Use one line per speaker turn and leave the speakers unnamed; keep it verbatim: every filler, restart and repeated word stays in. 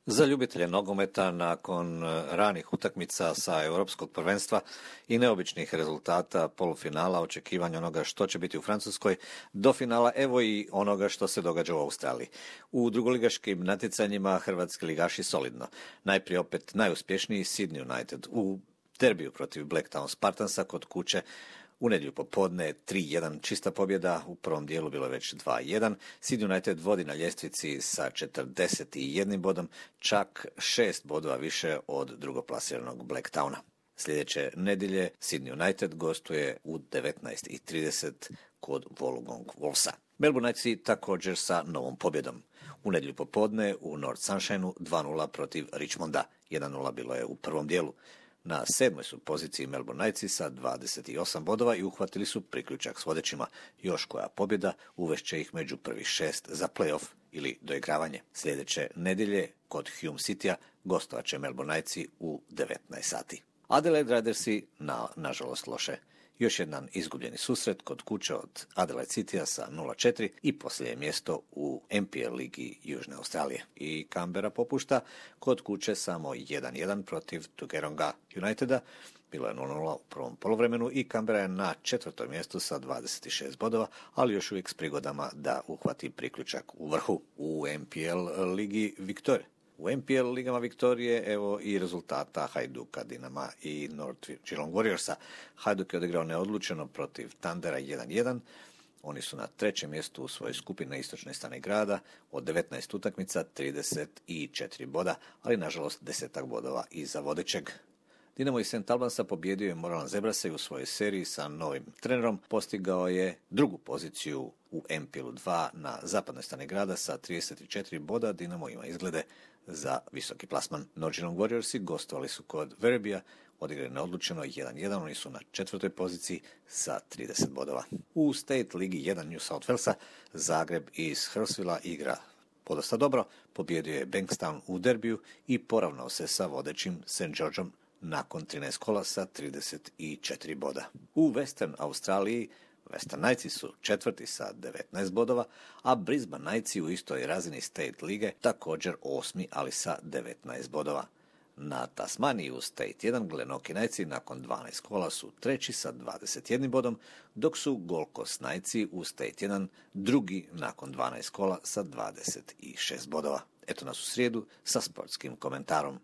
Za ljubitelje nogometa nakon ranih utakmica sa europskog prvenstva i neobičnih rezultata polufinala, očekivanja onoga što će biti u Francuskoj, do finala evo i onoga što se događa u Australiji. U drugoligaškim natjecanjima hrvatski ligaši solidno. Najprije opet najuspješniji Sydney United u derbiju protiv Blacktown Spartansa kod kuće. U nedjelju popodne tri jedan čista pobjeda, u prvom dijelu bilo je već dva jedan. Sydney United vodi na ljestvici sa četrdeset jednim bodom, čak šest bodova više od drugoplasiranog Blacktowna. Sljedeće nedjelje Sydney United gostuje u devetnaest i trideset kod Wollongong Wolvesa. Melbourne Knightsi također sa novom pobjedom. U nedjelju popodne u North Sunshineu dva nula protiv Richmonda, jedan nula bilo je u prvom dijelu. Na sedmoj su poziciji Melbourne Knightsi sa dvadeset osam bodova i uhvatili su priključak s vodećima. Još koja pobjeda uvešće ih među prvih šest za play-off ili doigravanje. Sljedeće nedjelje kod Hume Citya gostovat će Melbourne Knightsi u devetnaest sati. Adelaide Ridersi na, nažalost loše. Još jedan izgubljeni susret kod kuće od Adelaide Citya sa nula četiri i posljednje mjesto u N P L ligi Južne Australije. I Canberra popušta kod kuće samo jedan jedan protiv Tugeronga Uniteda. Bilo je nula nula u prvom poluvremenu i Canberra je na četvrtom mjestu sa dvadeset šest bodova, ali još uvijek s prigodama da uhvati priključak u vrhu. U N P L ligi Victoria. U N P L ligama Viktorije evo i rezultata Hajduka, Dinama i North Geelong Warriorsa. Hajduk je odigrao neodlučeno protiv Thundera jedan jedan. Oni su na trećem mjestu u svojoj skupini na istočnoj strani grada, od devetnaest utakmica trideset četiri boda, ali nažalost desetak bodova iza vodećeg. Dinamo iz Saint Albansa pobjedio je Moralan Zebrase i u svojoj seriji sa novim trenerom postigao je drugu poziciju u N P L dva na zapadnoj strani grada sa trideset četiri boda. Dinamo ima izglede za visoki plasman. North Geelong Warriorsi gostovali su kod Verebija, odigrali neodlučeno jedan jedan, oni su na četvrtoj poziciji sa trideset bodova. U State ligi jedan New South Walesa Zagreb iz Hurstvilla igra podosta dobro, pobjedio je Bankstown u derbiju i poravnao se sa vodećim Saint Georgeom nakon trinaest kola sa trideset četiri boda. U Western Australiji Western Knightsi su četvrti sa devetnaest bodova, a Brisbane Knightsi u istoj razini State lige također osmi, ali sa devetnaest bodova. Na Tasmaniji u State jedan Glenorchy Knightsi nakon dvanaest kola su treći sa dvadeset jednim bodom, dok su Gold Coast Knightsi u State jedan drugi nakon dvanaest kola sa dvadeset šest bodova. Eto nas u srijedu sa sportskim komentarom.